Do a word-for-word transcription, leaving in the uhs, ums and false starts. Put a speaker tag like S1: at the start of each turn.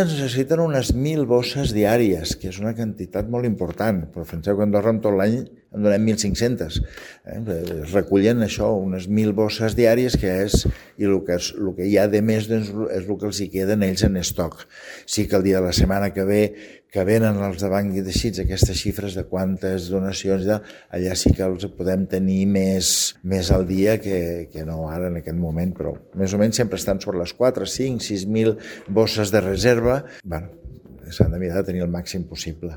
S1: Es necessiten unes mil bosses diàries, que és una quantitat molt important, però penseu que a Andorra en tot l'any en donem mil cinc-centes. Eh? Es recullen això, unes mil bosses diàries, que és, i el que, és, el que hi ha de més doncs, és el que els hi queden ells en estoc. Sí que el dia de la setmana que ve, que venen els de Banc i de Xits, aquestes xifres de quantes donacions, allà sí que els podem tenir més, més al dia que, que no ara en aquest moment, però més o menys sempre estan sobre les quatre, cinc, sis mil bosses de reserva. Bueno, s'han de mirar de tenir el màxim possible.